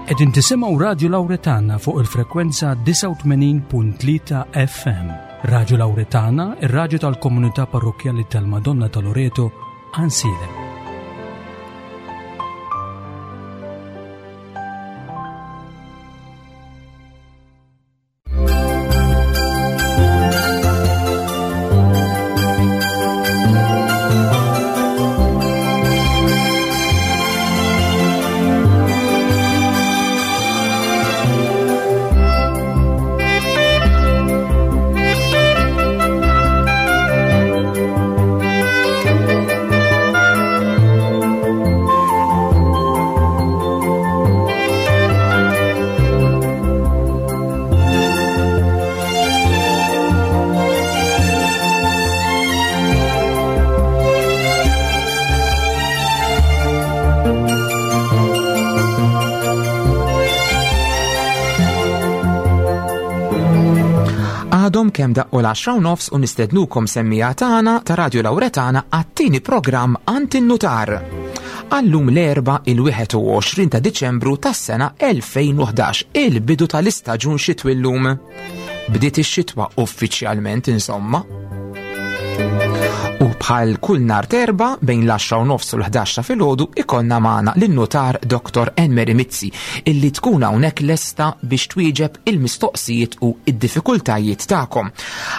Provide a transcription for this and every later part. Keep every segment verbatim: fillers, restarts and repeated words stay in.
Qegħdin tisimgħu Radio Lauretana fuq il-frekwenza disgħa u tmenin punt tlieta F M. Radio Lauretana, ir-radju tal-Komunità Parrokkjali tal-Madonna ta' Loreto, Għajnsielem. Għadhom kemm daqqu l-għaxra u nofs u nistednukom, semmiegħa tagħna ta' Radio Lauretana, għat-tieni programm Għand in-Nutar. Għal-lum l-Erbgħa, il-wieħed u għoxrin ta' Diċembru tas-sena elfejn u ħdax, il-bidu tal-istaġun xitwi llum. Bdiet ix-xitwa uffiċjalment, insomma. U bħal kull nhar t'Erbgħa bejn l-għaxra u nofs u l-ħdax ta' filgħodu ikollna magħna lin-nutar Doktor Enmeri Mizzi, illi tkun hawnhekk lesta biex twieġeb il-mistoqsijiet u id-diffikultajiet tagħkom.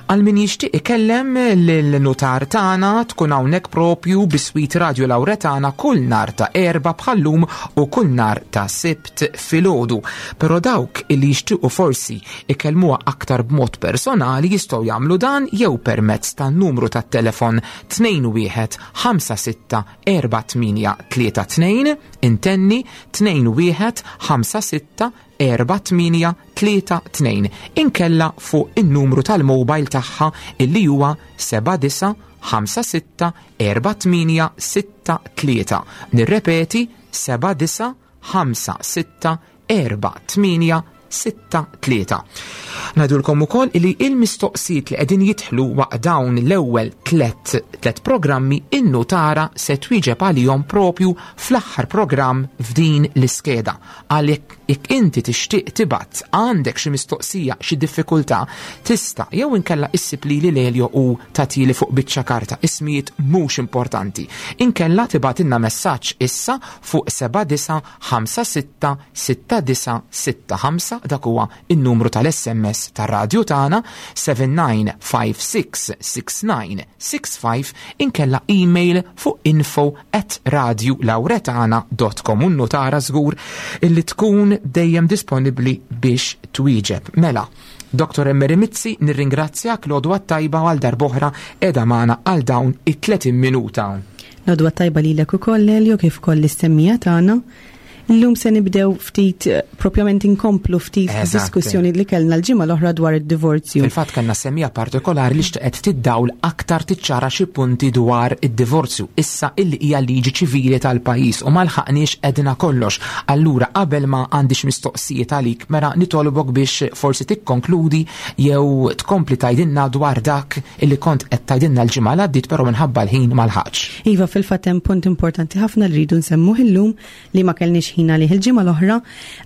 Għal min jixtieq ikellem lil-nutar tagħna, tkun hawnhekk propju biswit Radio Lauretana kull nhar ta' Erbgħa bħal-lum u kull nhar ta' Sibt filgħodu. Però dawk illi jixtiequ forsi ikellmuha aktar b'mod personali jistgħu jagħmlu dan jew permezz tan-numru tat-telefon tnejn wieħed ħamsa sitta erba' tmienja tlieta tnejn, intenni, tnejn wieħed ħamsa sitta erba' tmienja tlieta tnejn, inkella fuq in-numru tal-mobile tagħha illi huwa seba' disa' ħamsa sitta erba' tmienja sitta tlieta. Nirrepeti, seba' disa' ħamsa sitta erba' tmienja sitta tlieta. Ngħidulkom ukoll li il-mistoqsijiet li qegħdin jidħlu waqt dawn l-ewwel tlet tlet programmi, in-nutara se twieġeb għalihom propju fl-aħħar programm f'din l-iskeda. Għalhekk jekk inti tixtieq tibgħat, għandek xi mistoqsija, xi diffikultà, tista' jew inkella issib lili Lelio u tagħtili fuq biċċa karta, ismijiet mhux importanti. Inkella tibgħatilna messaġġ issa fuq seba' disa' ħamsa sitta sitta disa' sitta ħamsa, dak huwa in-numru tal-S M S tar-radju tagħna, seba' disa' ħamsa sitta sitta disa' sitta ħamsa, inkella email fuq info at radiolauretana dot com u notara żgur illi tkun dejjem disponibbli biex twieġeb. Mela, Doktor Emmeri Mizzi, nirringrazzjak, l-għodwa tajba, għal darb'oħra qiegħda magħna għal dawn it-tletin minuta. L-għodwa tajba lilek ukoll, Elio, kif ukoll lis-semmiegħa tagħna. Illum se nibdew ftit, eh, propjament inkomplu ftit Eżatt. diskussjoni li kellna l-ġimgħa l-oħra dwar id-divorzju. Fil-fatt kellna semmiegħa partikolari li xtaqet tiddawl aktar, tiċċara xi punti dwar id-divorzju issa illi hija liġi ċivili tal-pajjiż, u ma lħaqniex għedna kollox. Allura qabel ma għandix mistoqsijiet għalik, mela nitolbok biex forsi tikkonkludi jew tkompli tgħidilna dwar dak illi kont qed tgħidilna l-ġimgħa li għaddiet, però minħabba l-ħin ma lħaqx. Iva, fil-fatt hemm punt importanti ħafna li rridu nsemmuh illum li ma kellniex ħin għalih il-ġimgħa l-oħra.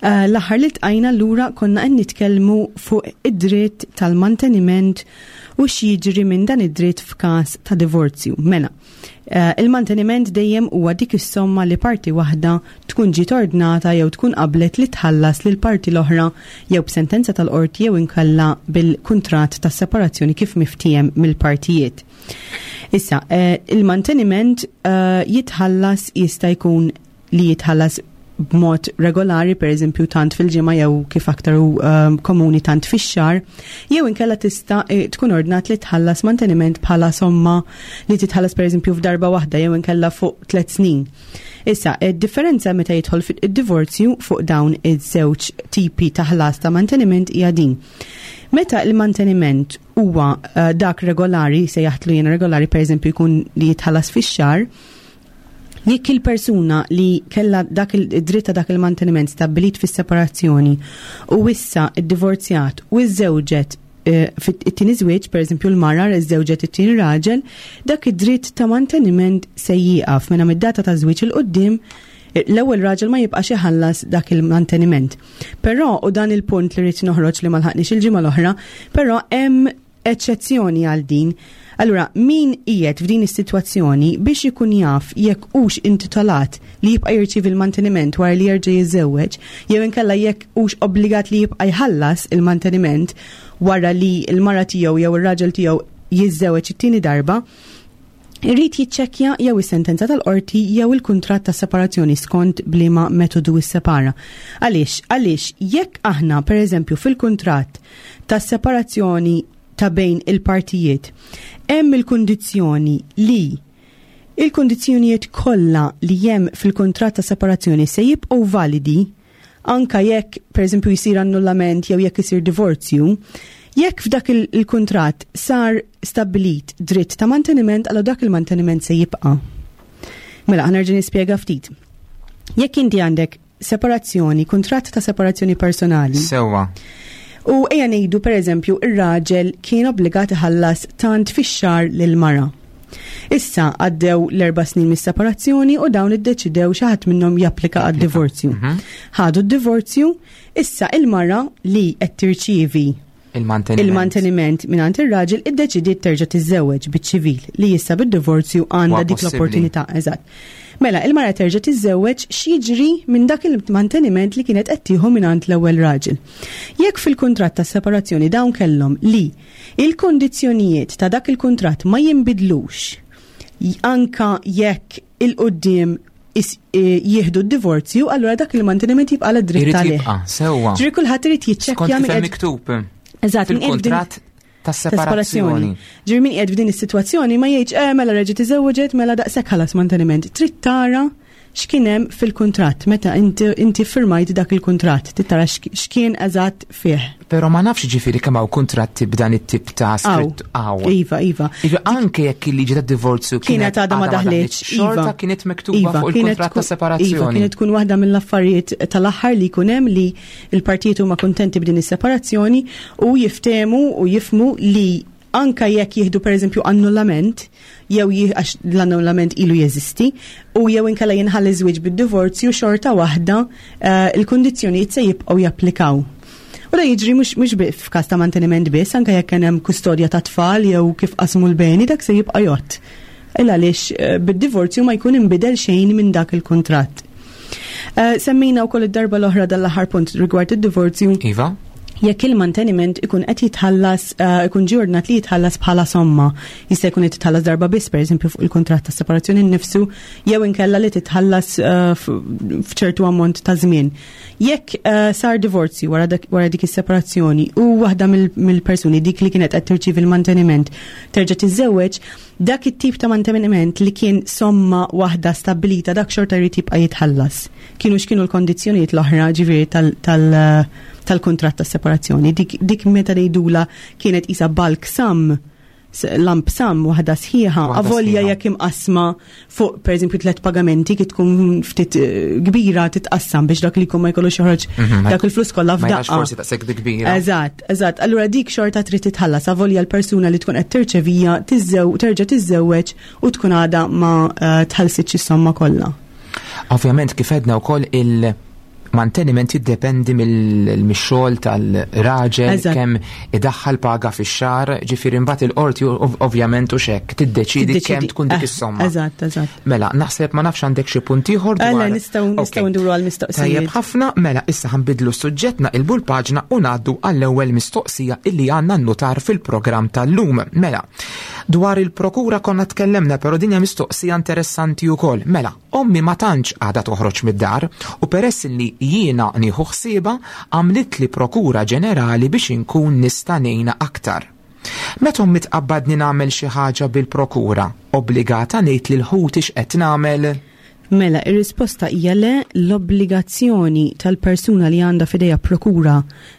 Eh, L-aħħar li ltqajna lura konna qed nitkellmu fuq id-dritt tal-manteniment u x'jiġri minn dan id-dritt f'każ ta' divorzju. Mela, eh, il-manteniment dejjem huwa dik is-somma li parti waħda tkun ġiet ordnata jew tkun qablet li tħallas lil parti l-oħra, jew b'sentenza tal-qorti jew inkella bil-kuntratt ta' separazzjoni kif miftiem mill-partijiet. Issa, eh, il-manteniment eh, jitħallas, jista' jkun li jitħallas b'mod regolari, per eżempju tant fil-ġimgħa jew kif aktar hu um, komuni tant fix-xahar, jew inkella tista' eh, tkun ordnat li tħallas manteniment bħala somma li titħallas, per eżempju, f'darba waħda jew inkella fuq tliet snin. Issa, id-differenza meta jidħol fid-divorzju fuq dawn iż-żewġ tipi ta' ħlas ta' manteniment hija din. Meta il-manteniment huwa uh, dak regolari, se jaħtlu jena regolari, per eżempju jkun li jitħallas fix-xahar, jekk il-persuna li kella dak il-dritt ta' dak il-manteniment stabbilit fis-separazzjoni u issa iddivorzjat u iżżewġet eh, fit-tieni żwieġ, per eżempju l-mara iżżewġet it-tieni raġel, dak id-dritt ta' manteniment se jieqaf minn mid-data ta' żwieġ 'il quddiem. L-ewwel raġel ma jibqax iħallas dak il-manteniment. Però, u dan il-punt li rrid noħroġ li ma lħaqniex il-ġimgħa l-oħra, però hemm eċċezzjoni għal din. Allura, min qiegħed f'din is-sitwazzjoni biex ikun jaf jekk hux intitolat li jibqa' jirċievi il-manteniment wara li jerġa' jiżżewweġ, jew inkella jekk hux obbligat li jibqa' jħallas il-manteniment wara li l-mara tiegħu jew ir-raġel tiegħu jiżżewweġ it-tieni darba, irrid jiċċekkja jew is-sentenza tal-qorti jew il-kuntratt ta' separazzjoni skont b'liema metodu issepara. Għaliex? Għaliex jekk aħna pereżempju fil-kuntratt ta' separazzjoni ta' bejn il-partijiet hemm il-kundizzjoni li il-kundizzjonijiet kollha li hemm fil-kuntratt ta' separazzjoni se jibqgħu validi anka jekk pereżempju jsir annullament jew jekk isir divorzju, jekk f'dak il-kuntratt sar stabbilit dritt ta' manteniment, allura dak il-manteniment se jibqa'. Mela, ħa nerġa' nispjega ftit. Jekk inti għandek separazzjoni, kuntratt ta' separazzjoni personali. Sewwa. U ejja ngħidu pereżempju ir-raġel kien obbligat iħallas tant fix-xahar lil mara. Issa għaddew l-erba' snin mis-separazzjoni u dawn iddeċidew xi ħadd minnhom japplika għad-divorzju. Mhm. Ħadu d-divorzju, issa il-mara li qed tirċievi il-manteniment. il-manteniment mingħand ir-raġel iddeċidiet terġa' tiżżewweġ biċ-ċivil li issa bid-divorzju għandha Huwa dik possibbli. l-opportunità, eżatt. Mela, il-mara terġa' tiżżewweġ, x'jiġri minn dak il-manteniment li kienet qed tieħu mingħand l-ewwel raġel? Jekk fil-kuntratt ta' separazzjoni dawn kellhom li il-kondizzjonijiet ta' dak il-kuntratt ma jinbidlux anka jekk il-qudiem is-, eh, jieħdu d-divorzju, allura dak il-manteniment jibqa' la dritt Irid għalih. jibqa', sewwa. Ġifieri kulħadd irid jiċċekkja Skont min kif hemm qed miktub. Eżatt, min qiegħed f'din Fil-kuntratt ta' separazzjoni. Ġifieri min qiegħed f'din is-sitwazzjoni ma jgħidx eh, mela reġgħet iżewġet, mela daqshekk ħallas manteniment. Trid tara x'kien hemm fil-kuntratt meta inti, inti firmajt dak il-kuntratt, trid tara x'k-, x'kien eżatt fih. Però ma nafx ġifieri kemm hawn kuntratti b'dan it-tip ta' skritt hawn. Iva, iva. Iva, anke jekk il-liġi tad-divorzju Kienet kienet għadha ma daħlitx, xorta iva. kienet miktuba Iva, fuq kienet il-kuntratt ta' tkun- Iva, separazzjoni. kienet tkun waħda mill-affarijiet tal-aħħar li jkun hemm li l-partijiet huma kuntenti b'din is-separazzjoni u jiftehmu u jifhmu li anka jekk jieħdu pereżempju annullament, jew jie-, għax l-annullament ilu jeżisti, u jew inkella jinħall iż-żwieġ bid-divorzju, xorta waħda, eh, il-kundizzjonijiet se jibqgħu japplikaw. U da jiġri mhux, mhux bi-, f'każ ta' manteniment biss, anka jekk kien hemm kustodja ta' tfal jew kif qasmu l-beni, dak se jibqa' jgħodd. Illa għaliex, eh, bid-divorzju ma jkun inbidel xejn minn dak il-kuntratt. Eh, semmejna wkoll id-darba l-oħra dal-aħħar punt rigward id-divorzju. Iva. Jekk il-manteniment ikun qed jitħallas, eh, ikun ġie ordnat li jitħallas bħala somma, jista' jkun qed jitħallas darba biss, pereżempju fuq il-kuntratt ta' separazzjoni nnifsu, jew inkella li titħallas, eh, f-, f'ċertu ammont ta' żmien. Jekk, eh, sar divorzju wara dak, wara dik is-separazzjoni u waħda mill-, mill-persuni dik li kienet qed tirċievi l-manteniment terġa' tiżżewweġ, dak it-tip ta' manteniment li kien somma waħda stabbilita dak xorta jrid jibqa' jitħallas. Kienu x'kienu l-kondizzjonijiet l-oħra ġifieri tal-, tal-, tal-kuntratt ta' separazzjoni. Dik, dik meta ngħidula kienet isa bulk sum, s-, lump sum waħda sħiħa, Waħda avolja sħiħa. jekk imqasma fuq pereżempju tliet pagamenti kif tkun ftit, eh, kbira titqassam biex dak li jkun ma jkollux joħroġ Mhm, ma dak il-flus kollha Ma jgħax f'daqqa. forsi daqshekk dik kbira. Eżatt, eżatt. Allura dik xorta trid titħallas avolja l-persuna li tkun qed tirċevija tiżżew-, terġa' tiżżewweġ u tkun għadha ma, eh, tħallsitx is-somma kollha. Ovvjament kif għedna wkoll il-manteniment jiddependi mill-, mix-xogħol tal-raġel, Eżatt. kemm idaħħal paga fix-xahar, ġifieri mbagħad il-qorti ov-, ovvjament u xek tiddeċidi Tiddeċidi. kemm tkun dik Eh, is-somma. Eżatt, eżatt. Mela, naħseb ma nafx għandek xi punt ieħor Mela, dwar nistgħu, nistgħu Ok. nduru għall-mistoqsijiet. Tajjeb ħafna, mela issa ħanbidlu s-suġġett, naqilbu l-paġna u ngħaddu għall-ewwel mistoqsija illi għandna nnutar fil-programm tal-lum. Mela, dwar il-prokura konna tkellemna, però din hija mistoqsija interessanti wkoll. Mela, ommi ma tantx għadha toħroġ mid-dar u peress li jiena nieħu ħsieba għamlit li prokura ġenerali biex inkun nista' ngħinha aktar. Meta ommi tqabbadni nagħmel xi ħaġa bil-prokura, obbligata ngħid lil ħuti x'qed nagħmel? Mela, ir-risposta hija le, l-obbligazzjoni tal-persuna li għandha f'idejha prokura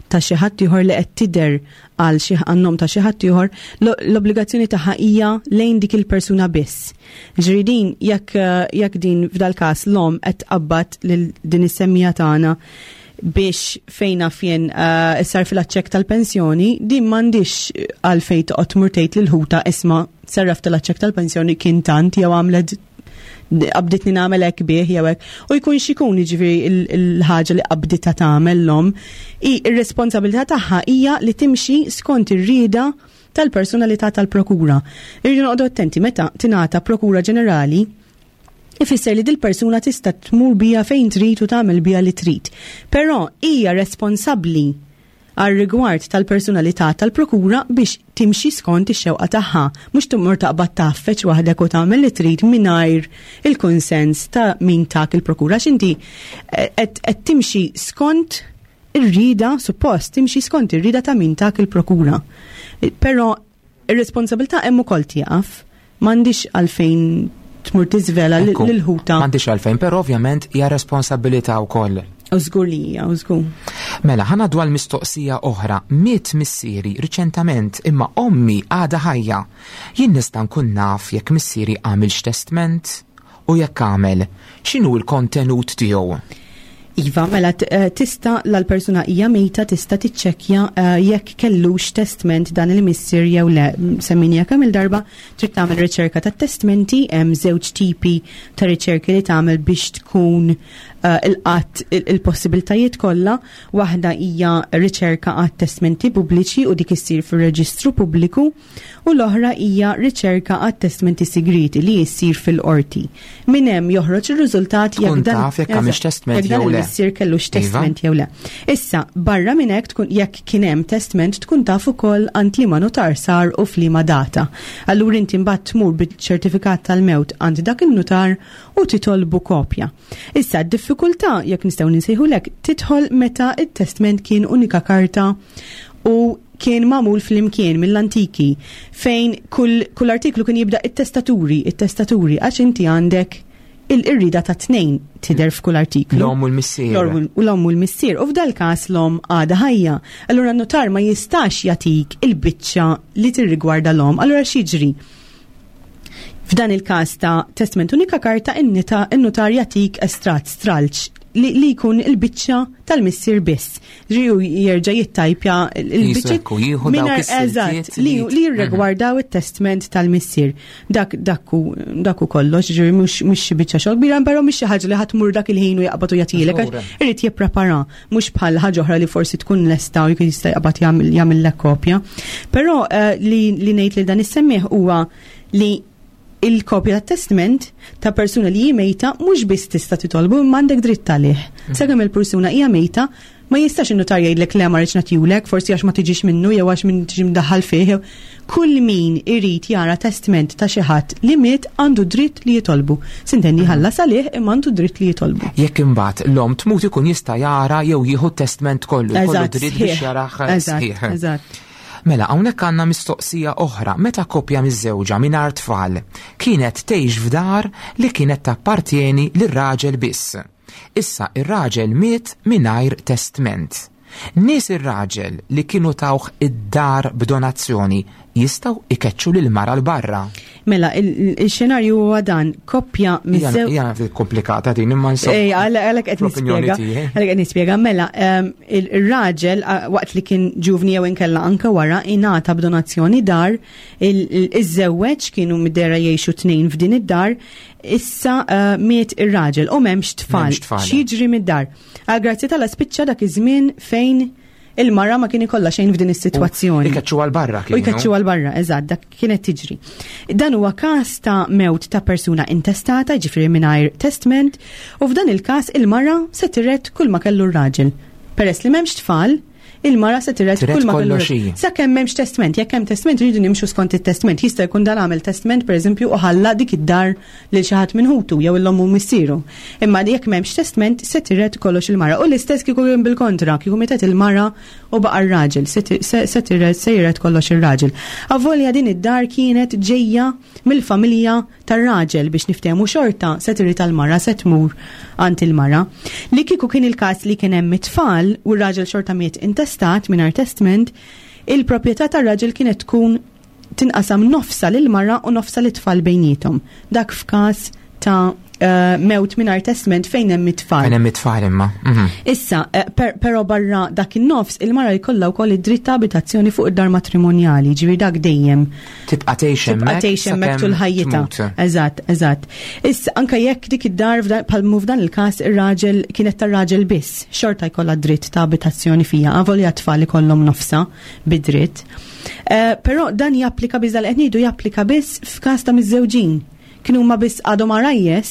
ta' xi ħadd ieħor li qed tidher għal xi għan-nom ta' xi ħadd ieħor, lo-, l-obbligazzjoni tagħha hija lejn dik il-persuna biss. Ġifieri din jekk, jekk din f'dal każ l-om qed tqabbad lil din is-semmija tagħna biex fejna fjen, eh, issar fil-aċċekk tal-pensjoni, din m'għandix għalfejn toqgħod tmur tgħid lil ħuta isma' serraf tal-aċċekk tal-pensjoni kien tant jew għamlet Qabditni nagħmel hekk bih jew hekk. U jkun x'ikun, jiġifieri, il-ħaġa li qabditha tagħmel l-omm, ir-responsabilità tagħha hija li timxi skont ir-rieda tal-persuna li tata l-prokura. Irridu noqogħdu attenti: meta tingħata prokura ġenerali, ifisser li dil-persuna tista' tmur bija fejn trid u tagħmel bija li trid. Però hija responsabbli għal rigward tal-persuna li tata l-prokura biex timxi skont ix-xewqa tagħha, mhux tmur taqbad tgħaffeġ waħdek u tagħmel li trid mingħajr il-kunsens ta' min tak il-prokura. X'inti qed timxi skont ir-rida, suppost timxi skont ir-rida ta' min tak il-prokura. Però ir-responsabilità hemm ukoll tieqaf, m'għandix għalfejn tmur tiżvela lil ħuta. M'għandix għalfejn, però ovvjament hija responsabilità wkoll. U żgur li hija, u żgur. Mela, ħa ngħaddu għal mistoqsija oħra. Miet missieri riċentament, imma ommi għada ħajja. Jien nista' nkun naf jekk missieri għamilx testament, u jekk għamel, x'inhu l-kontenut tiegħu? Iva, mela eh, tista' l-persuna hija mejta, tista' tiċċekkja eh, jekk kellux testament dan il-missier jew le. Semmejna kemm il-darba, trid tagħmel riċerka ta' testmenti. Hemm żewġ tipi ta' riċerki li tagħmel biex tkun eh, il-qatt il-possibiltajiet kollha. Waħda hija riċerka għat testmenti pubbliċi, u dik issir fir-reġistru pubbliku, u l-oħra hija riċerka għat testmenti segreti li jissir fil-qorti. Min hemm joħroġ ir-riżultat jekk dan taf jekk għamilx testament jew le. Missier kellux testament iva jew le. Issa, barra minn hekk, tkun jekk kien hemm testament, tkun taf ukoll għand liema notar sar u f'liema data. Allura inti mbagħad tmur biċ-ċertifikat tal-mewt għand dak il-notar u titolbu kopja. Issa, d-diffikultà, jekk nistgħu nsejħulek, tidħol meta it-testament kien unika karta u kien magħmul fl-imkien mill-antiki, fejn kull, kull artiklu kien jibda "it-testaturi", "it-testaturi", għax inti għandek il-irrida ta' tnejn tidher f'kull artiklu. L-om u l-missier. L-om u l-missier. U f'dal każ l-om għada ħajja. Allura n-notar ma jistax jatik il-biċċa li tirrigwarda l-om. Allura x'jiġri? F'dan il-każ ta' testament unika karta, in-notar jatik estrat, stralċ, li, li jkun il-biċċa tal-missier biss. Ġiju jerġa' jittajpja il-biċċa. Eżatt, li, li jirrigwardaw it-testament tal-missier. Dak dakku dakku kollox, ġifieri mhux mhux xi biċċa xogħol kbira, però mhux xi ħaġa li ħadd mur dak il-ħin u jaqbad u jagħtilek. Irid jipprepara, mhux bħal ħaġa oħra li forsi tkun lesta u jkun jista' jaqbad jagħmel kopja. Però eh, li li ngħid li dan is-semmieħ huwa li il-kopja tat testament ta' persuna li hi mejta mhux biss tista' titolbu, imma għandek dritt għalih. Mhm. Sakemm il-persuna hija mejta, ma jistax in-notar jgħidlek: "Le, ma rridx nagħtihulek", forsi għax ma tiġix minnu jew għax min tiġi mdaħħal fih. Kull min irid jara testament ta' xi ħadd li miet għandu dritt li jitolbu. S'intendi, mhm. ħallas għalih, imma għandu dritt li jitolbu. Jekk imbagħad l-om tmut, ikun jista' jara jew jieħu testament kollu, kollu dritt biex jarah. Eżatt, eżatt. Mela, hawnhekk għandna mistoqsija oħra: meta koppja miżżewġa mingħajr tfal kienet tgħix f'dar li kienet tappartieni lir-raġel biss. Issa ir-raġel miet mingħajr testament. Nies ir-raġel li kienu tawh id-dar b'donazzjoni jistgħu ikeċċu lil mara 'l barra? Mela, il-xenarju huwa dan, koppja miżżewġa. Hija komplikata din, imma insomma. Ej, għalhekk qed nispjega. Għalhekk qed nispjega. Mela, il-raġel, waqt li kien ġuvni jew inkella anke wara, ingħata b'donazzjoni dar, iż-żewweġ, kienu mid-dera jgħixu tnejn f'din id-dar, issa eh, miet ir-raġel u m'hemmx tfal. X'jiġri mid-dar? Għal grazzja t'Alla spiċċa dak iż-żmien fejn il-mara ma kien ikollha xejn f'din is-sitwazzjoni. Ikeċċu għal barra. U jkeċċu għal barra, eżatt, dak kienet tiġri. Dan huwa każ ta' mewt ta' persuna intestata, ġifieri mingħajr testament, u f'dan il-każ il-mara se tiret kull ma kellu r-raġel. Peress li m'hemmx tfal, il-mara se tiret kull ma kellu. Sakemm m'hemmx testament, jekk hemm testament, rridu nimxu skont it-testament. Jista' jkun dan għamel testament, pereżempju, u ħalla dik id-dar lil xi ħadd minn ħutu jew l-ommu missieru. Imma jekk m'hemmx testament, se tiret kollox il-mara. U l-istess kieku kien bil-kontra, kieku mietet il-mara u baqa' r-raġel, se tiret se jiret kollox ir-raġel. Avolja din id-dar kienet ġejja mill-familja tar-raġel, biex niftehmu, xorta se tiret tal-mara, se tmur għand il-mara. Li kieku kien il-każ li kien hemm it-tfal u r-raġel xorta miet intestat mingħajr testament, il-proprjetà tar-raġel kienet tkun tinqasam nofsa lil mara u nofsa lit-tfal bejnietom. Dak f'każ ta' uh, mewt mingħajr testament fejn hemm it-tfal. Fejn hemm it-tfal imma. Mhm. Issa, eh, per, però barra dak in-nofs, il-mara jkollha wkoll id-dritt ta' abitazzjoni fuq id-dar matrimonjali, ġifieri dak dejjem Tibqa' tgħix tibqa' hemmhekk tgħix hemmhekk sakemm tul ħajjitha. tmut. Eżatt, eżatt. Issa anke jekk dik id-dar f'dan- bħal f'dan il-każ ir-raġel kienet tar-raġel biss, xorta jkollha dritt ta' abitazzjoni fija, avolja tfal ikollhom nofsa bid-dritt. Eh, Però dan japplika biss, dal qed ngħidu japplika biss f'każ ta' miżżewġin. Kienu huma biss għadhom għarajjes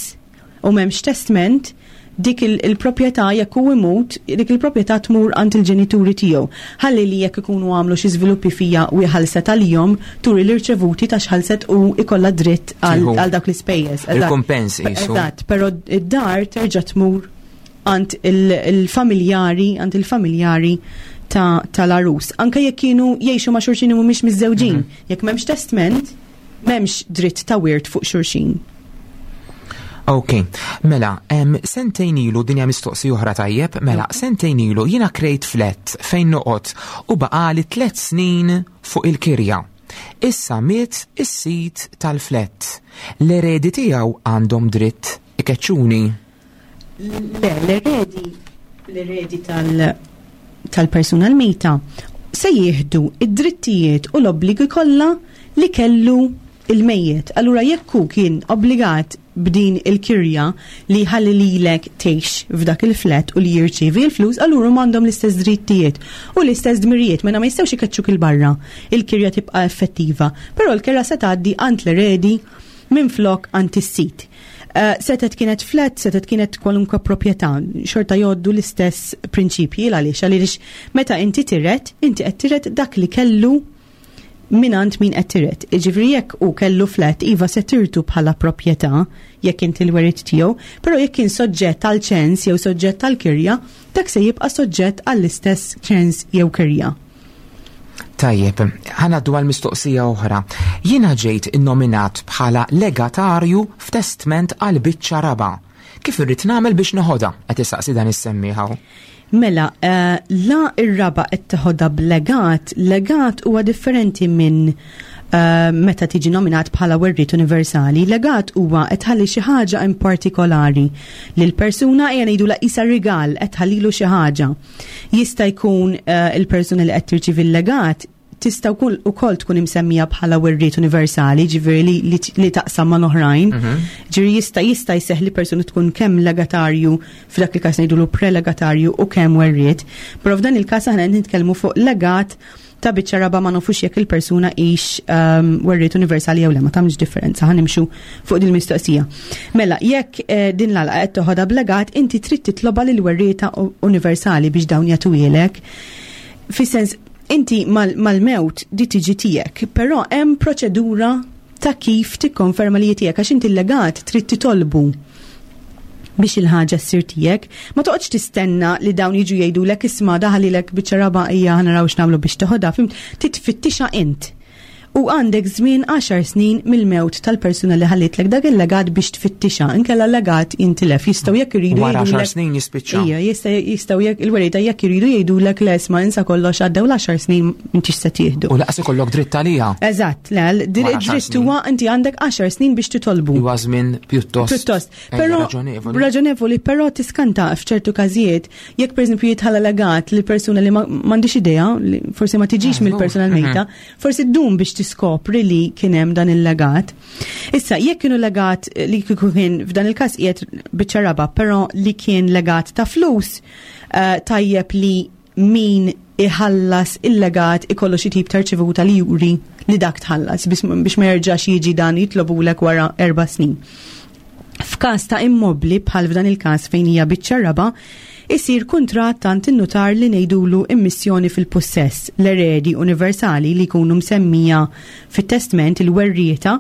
u m'hemmx testament, dik il- il-proprjetà jekk hu imut, dik il-proprjetà tmur għand il-ġenituri tiegħu. Ħalli li jekk ikunu għamlu xi żviluppi fija u jħallset għalihom, turi l-irċevuti ta' x'ħallset u ikollha dritt għal Tieħu. għal dak l-ispejjeż. Eżatt. Il-kumpens qisu. Eżatt, però id-dar terġa' tmur għand il- il-familjari, għand il-familjari ta' tal-arus. Anke jekk kienu jgħixu ma' xulxin u mhumiex miżżewġin. Jekk m'hemmx testament, m'hemmx dritt ta' wirt fuq xulxin. Ok, mela, em, sentejn ilu, dinja mistoqsi oħra tajjeb, mela, sentejn ilu jiena krejt flat fejn noqgħod u baqali tliet snin fuq il-kirja. Issa miet is-sid tal-flat. L-eredi tiegħu għandhom dritt ikeċċuni. Le, l-eredi, l-eredi tal- tal-persuna l-mejta se jieħdu id-drittijiet u l-obbligi kollha li kellu il-mejjet. Allura jekk hu kien obbligat b'din il-kirja li ħalli lilek tgħix f'dak il-flat u li jirċievi l-flus, allura huma għandhom l-istess drittijiet u l-istess dmirijiet, mela ma jistgħux ikeċċuk il-barra. Il-kirja tibqa' effettiva, però l-kirja se tgħaddi għand l-eredi minn flok għand is-sid. Uh, setet kienet flat, setet kienet kwalunkwe proprjetà, xorta jgħoddu l-istess prinċipji. Għaliex? Għaliex meta inti tiret, inti qed tiret dak li kellu minant min qed tiret. Jiġifieri jekk hu kellu flat, iva se tirtu bħala proprjetà jekk inti l-werit tiegħu, però jekk kien soġġett għal ċens jew soġġett għal kirja, dak se jibqa' soġġett għall-istess ċens jew kirja. Tajjeb, ħa ngħaddu għal mistoqsija oħra. Jiena ġejt innominat bħala legatarju f'testment għal biċċa raba. Kif irrid nagħmel biex noħodha? Qed isaqsi dan is-semmiegħ. Mela, eh, la ir-raba qed teħodha b'legat, legat huwa differenti minn eh, meta tiġi nominat bħala werriet universali. Legat huwa qed tħalli xi ħaġa in partikolari lil persuna, ejja ngħidu la isa rigal, qed tħallilu xi ħaġa. Jista' jkun eh, il-persuna li qed tirċivi l-legat tista' wkoll ukoll tkun imsemmija bħala werriet universali, ġifieri li, li, li taqsam ma' oħrajn. Ġifieri jista' jista' jseħħ li persuna tkun kemm legatarju, f'dak il-każ ngħidulu prelegatarju, u kemm werriet. Però f'dan il-każ aħna qed nitkellmu fuq legat ta' biċċa raba, ma nafux jekk il-persuna hix um, werriet universali jew le, ma tagħmilx differenza, ħa nimxu fuq din il-mistoqsija. Mela, jekk eh, din l-għalqa qed toħodha b'legat, inti trid titloba lil werrieta universali biex dawn jagħtuhielek. Fis-sens, inti mal- mal-mewt di tiġi tiegħek, però hemm proċedura ta' kif tikkonferma li tiegħek, għax inti l-legat trid titolbu biex il-ħaġa ssir tiegħek. Ma toqgħodx tistenna li dawn jiġu jgħidulek, "Isma', daħalilek biċċa raba, ejja ħa naraw x'nagħmlu biex toħodha", fhimt? Titfittixha int. U għandek żmien għaxar snin mill-mewt tal-persuna li ħallitlek dak il-legat biex tfittixa, inkella l-legat jintilef. Jistgħu jekk iridu Wara għaxar jgħidulek- snin jispiċċa. Ija, jista' jistgħu jekk il-werrieta jekk iridu jgħidulek, "Le, isma', insa kollox, għaddew l-għaxar snin, m'intix se tieħdu." U lanqas ikollok dritt għalija. Eżatt, le, l- Wara għaxar dritt snin. huwa inti għandek għaxar snin biex titolbu. Huwa żmien pjuttost. Pjuttost. eh, Però raġonevoli. Raġonevoli, però tiskanta f'ċertu każijiet jekk pereżempju jitħalla legat li persuna li ma- m'għandix idea, li forsi ma tiġix Ah, mill-persuna l-mejta, forsi ddum biex tiskopri li kien hemm dan il-legat. Issa, jekk kienu legat li kieku kien f'dan il-każ qiegħed biċċa raba, però li kien legat ta' flus, eh, tajjeb li min iħallas il-legat ikollu xi tip ta' rċevuta li juri li dak tħallas biex biex ma jerġax jiġi dan jitlobulek wara erba' snin. F'każ ta' immobli bħal f'dan il-każ fejn hija biċċa raba, isir kuntratt għand in-nutar li ngħidulu immissjoni fil-possess. L-eredi universali li jkunu msemmija fit-testment, il-werrieta,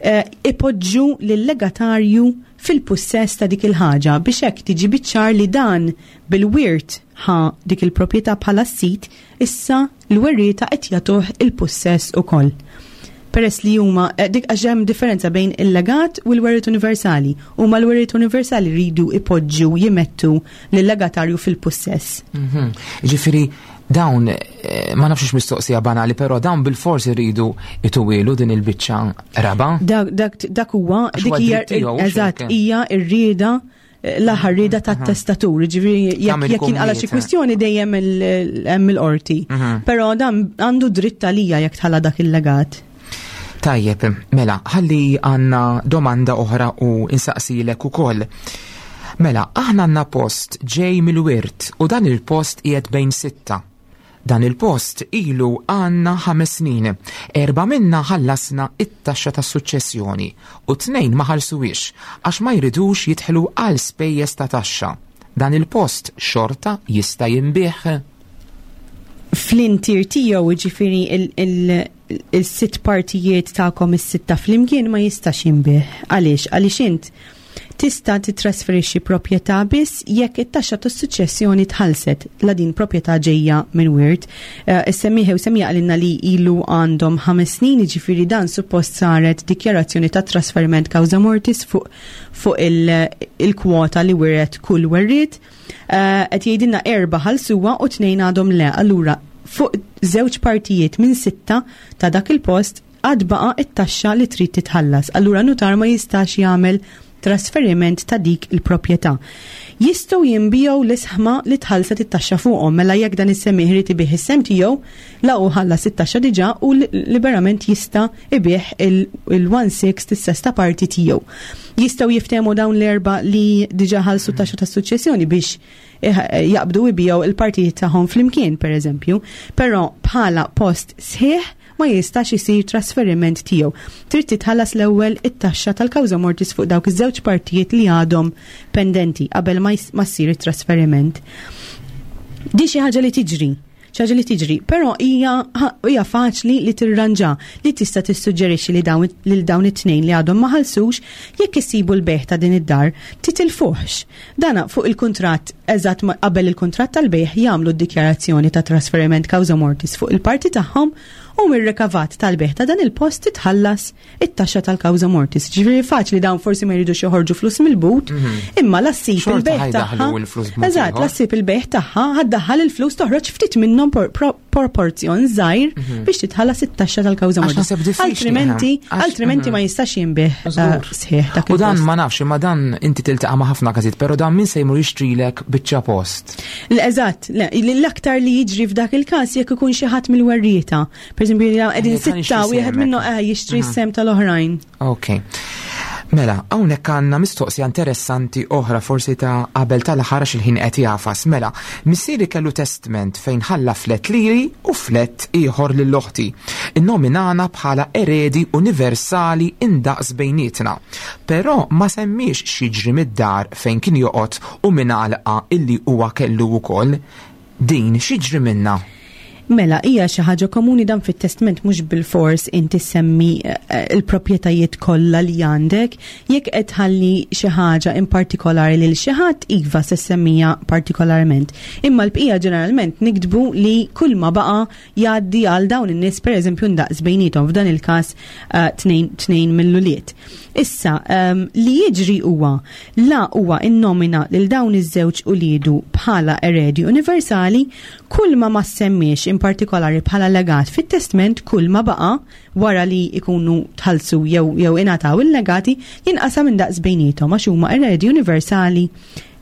eh, ipoġġu lill-legatarju fil-possess ta' dik il-ħaġa biex hekk tiġi biċ-ċar li dan bil-wirt ħa dik il-proprjetà bħala sit, issa l-werrieta qed jagħtuh il-possess ukoll. Peress li huma eh, dik, għax hemm differenza bejn il-legat u l-werriet universali. Huma l-werriet universali rridu ipoġġu, jimettu lill-legatarju fil-possess. Mhm. Ġifieri Dawn, eh, ma nafx mistoqsija banali, però dawn bil-forsi rridu ituwilu din il-biċċa raba. Dak, dak, dak huwa Għax dik huwa hija dritt tiegħu, eżatt x'hekk. hija r-rieda, l-aħħar rieda tat-testatur, ġifieri jekk Tagħmel jekk jinqala xi kummiet. Kwistjoni dejjem il- hemm il-qorti. Mhm. Però dan għandu dritt għalija jekk tħalla dak il-legat. Tajjeb, mela, ħalli għanna domanda oħra u insaqsilek ukoll. Mela, aħna għanna post ġej mill-wirt u dan il-post qiegħed bejn sitta. Dan il-post ilu għanna ħames snin. Erba minna ħallasna it-taxxa ta' suċċessjoni u tnejn ma ħallsuwiex għax ma jridux jidħlu għal spejjeż ta' taxxa. Dan il-post xorta jista' jinbiegħ. Fl-intier tiegħu, ġifieri il-sitt partijiet tagħkom is-sitta flimkien, ma jistax jinbiegħ. Għaliex? Għaliex int tista' titrasferixxi proprjetà biss jekk it-taxxa tas-suċċessjoni tħallset la din proprjetà ġejja minn wirt. Eh, Is-semmiħ u semmija qalilna li ilu għandhom ħames snin, ġifieri dan suppost saret dikjarazzjoni ta' trasferiment causa mortis fuq fuq il- il-kwota li wiret kull werriet. Eh, Qed jgħidilna erba' ħallsuha u tnejn għadhom le. Allura fuq żewġ partijiet minn sitta ta' dak il-post għad baqa it-taxxa li trid titħallas. Allura nutar ma jistax jagħmel trasferiment ta' dik il-proprjetà. Jistgħu jinbiegħu l-ishma li tħallset it-taxxa fuqhom, mela jekk dan is-semmiegħ irid ibigħ is-sehem tiegħu, la hu ħallas it-taxxa diġà u li- liberament jista' ibigħ il-one sixth, is-sesta parti tiegħu. Jistgħu jiftehmu dawn l-erba' li diġà ħallsu taxxa tas-suċċessjoni biex eh, jaqbdu jbigħu il-partijiet tagħhom flimkien, per eżempju, però bħala post sħiħ ma jistax isir trasferiment tiegħu. Trid titħallas l-ewwel it-taxxa tal-causa mortis fuq dawk iż-żewġ partijiet li għadhom pendenti qabel ma js- ma ssir it-trasferiment. Di xi ħaġa li tiġri, xi ħaġa li tiġri, però hija hija faċli li tirranġa, li tista' tissuġġerixxi li dawn lil dawn it-tnejn li għadhom ma ħallsux, jekk isibu l-bejgħ ta' din id-dar, titilfuhx. Dana fuq il-kuntratt, eżatt ma- qabel il-kuntratt tal-bejgħ jagħmlu d-dikjarazzjoni ta' trasferiment causa mortis fuq il-parti tagħhom u mir-rikavat tal-bejgħ ta' dan il-post titħallas it-taxxa tal-causa mortis. Ġifieri faċli, dawn forsi ma jridux joħorġu flus mill-but, imma la ssib Xorta il-bejgħ ħa jdaħħlu tagħha. l-flus b'mod Eżatt, ieħor. la ssib il-bejgħ tagħha, ħa ddaħħal il-flus, toħroġ ftit minnhom por- pro- proporzjon żgħir biex titħallas it-taxxa tal-causa Għax mortis. naħseb diffiċli, Altrimenti, eh. Għax- altrimenti ma jistax jinbiegħ eh, Żgur. sħiħ dak U dan il-post. ma nafx, imma dan inti tiltaqa' ma' ħafna każijiet, però dan min se jmur jixtrilek biċċa post? L-eżatt, le, l-aktar li jiġri f'dak il-każ jekk ikun xi ħadd mill-werrieta. Per eżempju, qegħdin Jekk ħa sitta, nixtri wieħed semek. minnhom eh, jixtri s-sehem tal-oħrajn. Ok. Mela, hawnhekk għandna mistoqsija interessanti oħra, forsi ta' qabel tal-aħħar għax il-ħin qed jagħfas. Mela, missieri kellu testament fejn ħalla flat lili u flat ieħor lil oħti. Innominana bħala eredi universali indaqs bejnietna. Però ma semmiex x'jiġri mid-dar fejn kien joqgħod u minn għalqa illi huwa kellu wkoll. Din x'jiġri minna? Mela, hija xi ħaġa komuni dan fit-testament, mhux bil-fors inti semmi eh, il-proprjetajiet kollha li għandek. Jekk qed tħalli xi ħaġa in partikolari lil xi ħadd, iva, se semmija partikolarment. Imma l-bqija ġeneralment niktbu li kull ma baqa jgħaddi għal dawn in-nies, pereżempju, ndaqs bejnietom, f'dan il-każ eh, tnejn tnejn mill-ulied. Issa, um, li jiġri huwa la huwa innomina lil dawn iż-żewġ uliedu bħala eredi universali, kull ma ma semmiex in partikolari bħala legat fit-testament, kull ma baqa wara li ikunu tħallsu jew jew ingħataw il-legati jinqasam indaqs bejnietom għax huma eredi universali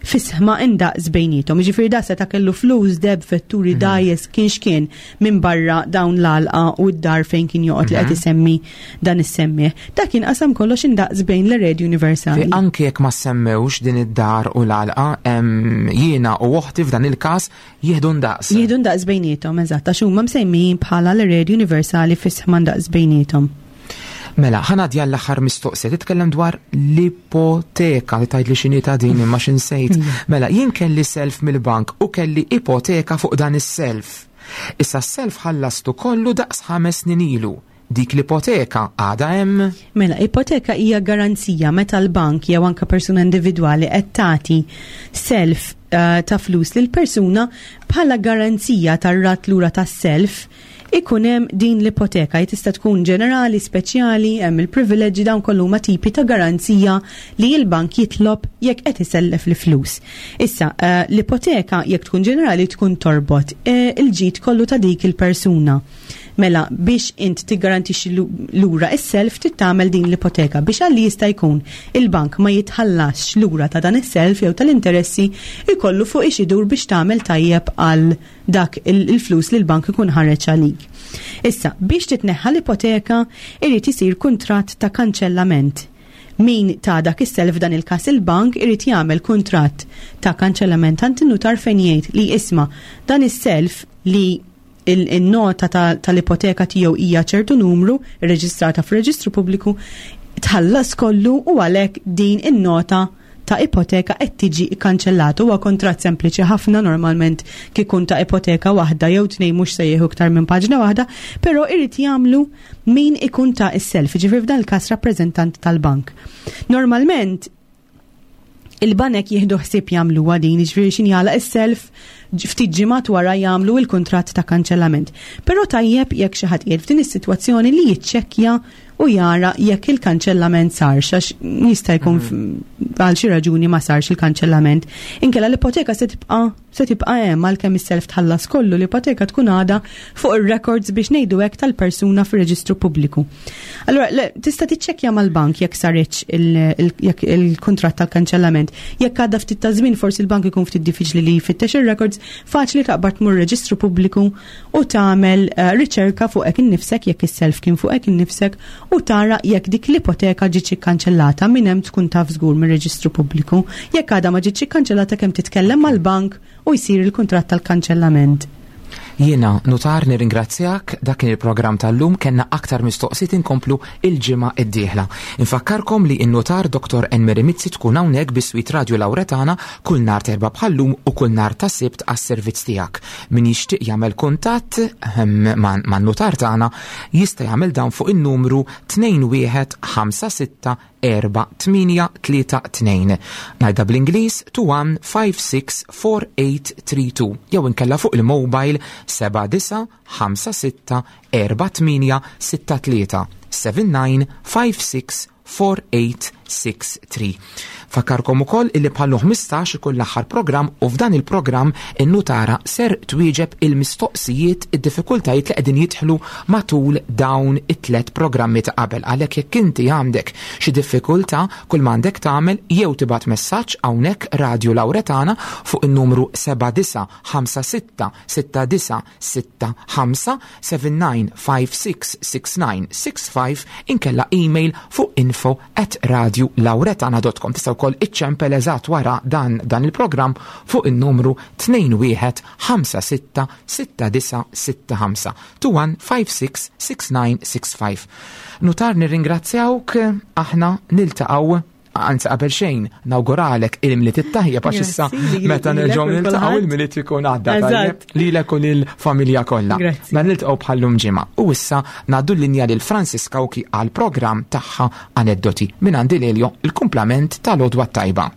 f'ishma indaqs bejnietom. Ġifieri da seta' kellu flus, deheb, vetturi, dgħajjes, kien x'kien minn barra dawn l-għalqa u d-dar fejn kien joqgħod li qed isemmi dan is-semmiegħ. Dak jinqasam kollox indaqs bejn l-eredi universali. Fi anke jekk ma semmewx din id-dar u l-għalqa, em, jiena u oħti f'dan il-każ jieħdu ndaqs. Jieħdu ndaqs bejnietom, eżatt, għax huma msemmijin bħala l-eredi universali f'ishma ndaqs bejnietom. Mela, ħa ngħaddi l-aħħar mistoqsija, titkellem dwar l-ipoteka, li tgħid li x'inhi ta' din imma x'insejt. Mela, jien kelli self mill-bank u kelli ipoteka fuq dan is-self. Issa s-self ħallastu kollu daqs ħames snin ilu. Dik l-ipoteka għada hemm? Mela, ipoteka hija garanzija meta l-bank jew anka persuna individwali qed tagħti self eh, ta' flus lil persuna bħala garanzija tar-rat lura tas-self. Ikun hemm din l-ipoteka, tista' tkun ġenerali, speċjali, hemm il-privileġġi, dawn kollu huma tipi ta' garanzija li l-bank jitlob jekk qed isellef l-flus. Issa, eh, l-ipoteka jekk tkun ġenerali tkun torbot eh, il-ġid kollu ta' dik il-persuna. Mela, biex int tiggarantixxi lura is-self trid tagħmel din l-ipoteka biex għalli jista' jkun il-bank ma jitħallasx lura ta' dan is-self jew tal-interessi, ikollu fuq ix idur biex tagħmel tajjeb għal dak il-flus li l-bank ikun ħareġ għalik. Issa, biex titneħħa l-ipoteka irid isir kuntratt ta' kanċellament. Min ta dak is-self, dan il-każ il-bank, irid jagħmel kuntratt ta' kanċellament għand in-nutar fejn jgħid li isma' dan is-self li il-nota tal-ipoteka tiegħu hija ċertu numru rreġistrata fir-reġistru pubbliku tħallas kollu u għalhekk din in-nota ta' ipoteka qed tiġi kkanċellata. Huwa kontratt sempliċi ħafna, normalment kikun ta' ipoteka waħda jew tnejn mhux se jieħu iktar minn paġna waħda, però irid jagħmlu min ikun ta is-self, ġifieri f'dan il-każ rappreżentant tal-bank. Normalment il-banek jieħdu ħsieb jagħmlu din, ġifieri x'ħin jagħlaq is-self, ftit ġimgħat wara jagħmlu il-kuntratt ta' kanċellament. Però tajjeb jekk xi ħadd qiegħed f'din is-sitwazzjoni li jiċċekkja u jara jekk il-kanċellament sarx, għax jista' jkun mhm. għal xi raġuni ma sarx il-kanċellament. Inkella l-ipoteka se tibqa' se tibqa' hemm għalkemm is-self tħallas kollu, l-ipoteka tkun għadha fuq ir-records, biex ngħidu hekk, tal-persuna fir-reġistru pubbliku. Allura tista' tiċċekkja mal-bank jekk saritx jekk il-kuntratt tal-kanċellament. Jekk għadha ftit ta' żmien, forsi l-bank ikun ftit diffiċli li jfittex ir-records, faċli taqbad tmur reġistru pubbliku u tagħmel eh, riċerka fuqek innifsek jekk is-self kien fuqek innifsek u tara jekk dik l-ipoteka ġietx ikkanċellata. Minn hemm tkun taf żgur mir-reġistru pubbliku. Jekk għadha ma ġietx ikkanċellata, kemm titkellem mal-bank u jsir il-kuntratt tal-kanċellament. Jiena, nutar, nirringrazzjak. Dak kien il-programm tal-lum. Kellna aktar mistoqsijiet, inkomplu il-ġimgħa id-dieħla. Infakkarkom li in-nutar Doktor Enmeri Mizzi tkun hawnhekk biswit Radio Lauretana kull nhar t'Erbgħa bħallum u kull nhar ta' Sibt għas-servizz tiegħek. Min jixtieq jagħmel kuntatt ehm, man-nutar tagħna jista' jagħmel dan fuq in-numru tnejn wieħed ħamsa sitta erba' tmienja tlieta tnejn. Ngħidha bl-Ingliż: two one five six four eight three two, jew inkella fuq il-mobile seba' disa' ħamsa sitta erba' tmienja sitta tlieta, seven nine five six four eight six three. Infakkarkom ukoll illi bħallu ħmistax ikun l-aħħar programm u f'dan il-programm in-nutara ser twieġeb il-mistoqsijiet, id-diffikultajiet li qegħdin jidħlu matul dawn it-tlet programmi ta' qabel. Għalhekk jekk inti għandek xi diffikultà, kull m'għandek tagħmel jew tibgħat messaġġ hawnhekk Radio Lauretana fuq in-numru seba' disa' ħamsa sitta sitta disa' sitta ħamsa, seven nine five six six nine six five, inkella email fuq info at radiolauretana dot com. Tista' wkoll iċċempel eżatt wara dan dan il-programm fuq in-numru tnejn wieħed ħamsa sitta sitta disa' sitta ħamsa, two one five six six nine six five. Nutar, nirringrazzjawk, aħna niltaqgħu, anzi qabel xejn nawguralek il-Milied it-tajjeb, għax issa meta nerġgħu niltaqgħu il-Milied ikun għadda, lilek u lill-familja kollha. Ma niltaqgħu bħallum ġimgħa. U issa ngħaddu l-linja lil Francis Kawki għal programm tagħha Aneddoti. Minn għandi Lelio, il-kumplament tal-għodwa tajba.